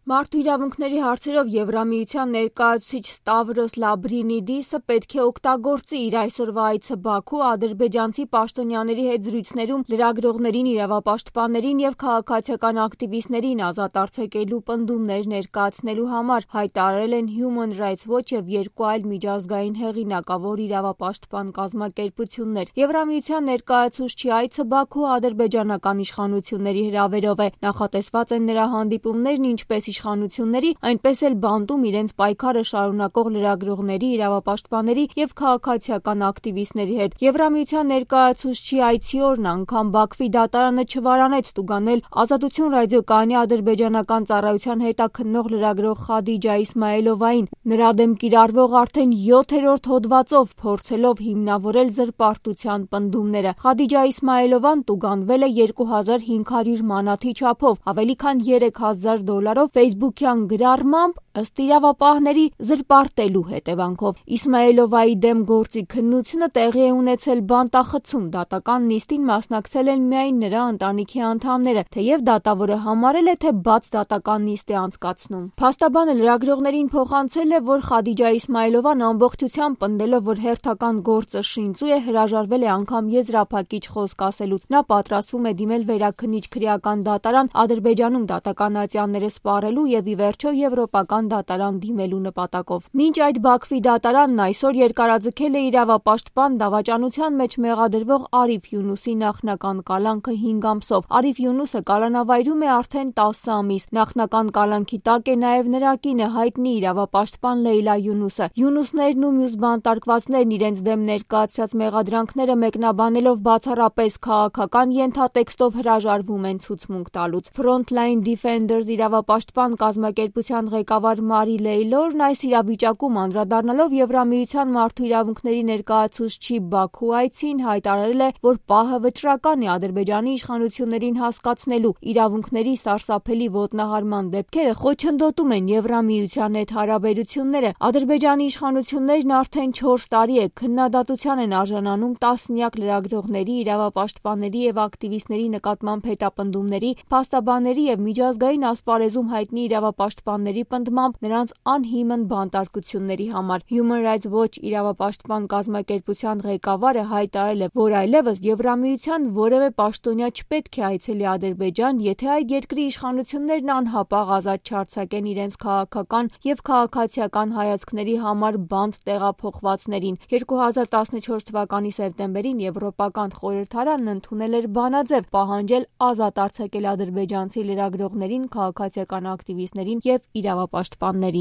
Մարդու իրավունքների հարցերով Եվրամիության ներկայացուցիչ Ստավրոս Լաբրինիդիսը պետք է օգտագործի իր այսօրվա այցը Բաքու ադրբեջանցի պաշտոնյաների հետ զրույցներում լրագրողներին, իրավապաշտպաններին եւ քաղաքացիական ակտիվիստներին ազատ արձակելու պնդումներ ներկայացնելու համար, հայտարարել են Human Rights Watch եւ երկու այլ միջազգային հեղինակավոր իրավապաշտպան կազմակերպություններ։ Եվրամիության ներկայացուցչի այցը Բաքու ադրբեջանական իշխանությունների հրավերով է։ Նախատեսված են նրա հանդիպումներն ինչպես իշխանությունների, այնպես էլ բանտում իրենց պայքարը շարունակող լրագրողների, իրավապաշտպանների եւ քաղաքացիական ակտիվիստների հետ։ Եվրամիության ներկայացուցչի այցի օրն անգամ Բաքվի դատարանը չվարանեց ստուգանել Ազատություն ռադիոկայանի ադրբեջանական ծառայության հետաքննող լրագրող Խադիջա Իսմայելովային նրա դեմ կիրառվող արդեն 7-րդ հոդվածով փորձելով հիմնավորել զրպարտության պնդումները։ Խադիջա Իսմայելովան տուգանվել է 2500 մանաթի չափով, ավելի քան $3000 Facebook-յան գրառմամբ, ըստ իրավապահների, զրպարտելու հետևանքով։ Իսմայելովայի դեմ գործի քննությունը տեղի է ունեցել բանտախցում, դատական նիստին մասնակցել են միայն նրա ընտանիքի անդամները, թեև դատավորը համարել է, թե բաց դատական նիստ է անցկացնում։ Փաստաբանը լրագրողներին փոխանցել է, որ Խադիջա Իսմայելովան ամբողջությամբ պնդելով, որ հերթական գործը շինծու է, հրաժարվել է անգամ եզրափակիչ խոսք ասելուց։ Նա պատրաստվում է դիմել վերաքննիչ քրեական դատարան Ադրբեջանում դատական ատյանները սպառելու եւ ի վերջո եվրոպական դատարան դիմելու նպատակով։ Մինչ այդ Բաքվի դատարանն այսօր երկարաձգել է իրավապաշտպան դավաճանության մեջ մեղադրվող Արիֆ Յունուսի նախնական կալանքը 5 ամսով։ Արիֆ Յունուսը կալանավայրում է արդեն 10 ամիս։ Նախնական կալանքի տակ է նաեւ նրա կինը, հայտնի իրավապաշտպան Լեյլա Յունուսը։ Յունուսներն ու մյուս բանտարկվածներն իրենց դեմ ներկայացրած մեղադրանքները մեկնաբանելով բացառապես քաղաքական ենթատեքստով հրաժարվում են ցուցմունք տալուց։ Frontline Defenders իրավապաշտպան կազմակերպության ղեկավար Մարի Լեյլորն այս իրավիճակում անդրադառնալով Եվրամիության մարդու իրավունքների ներկայացուցչի Բաքու այցին հայտարարել է, որ պահը վճռական է Ադրբեջանի իշխանություններին հասկացնելու իրավունքների սարսափելի ոտնահարման դեպքերը խոչընդոտում են Եվրամիության հետ հարաբերությունները։ Ադրբեջանի իշխանություններն արդեն 4 տարի է քննադատության են արժանանում տասնյակ լրագրողների, իրավապաշտպանների եւ ակտիվիստների նկատմամբ հետապնդումների, փաստաբանների եւ միջազգային ասպարեզում հայտնի իրավապաշտպանների պնդմամբ նրանց անհիմն բանտարկությունների համար։ Human Rights Watch իրավապաշտպան կազմակերպության ղեկավարը հայտարարել է, որ այլևս Եվրամիության որևէ պաշտոնյա չպետք է այցելի Ադրբեջան, եթե այդ երկրի իշխանություններն անհապաղ ազատ չարձակեն իրենց քաղաքական եւ քաղաքացիական հայացքների համար բանտ տեղափոխվածներին։ 2014 թվականի սեպտեմբերին Եվրոպական խորհրդարանն ընդունել էր բանաձև պահանջել ազատ արձակել ադրբեջանցի լրագրողներին, քաղաքացիական ակտիվիստներին եւ իրավապաշտպաններին։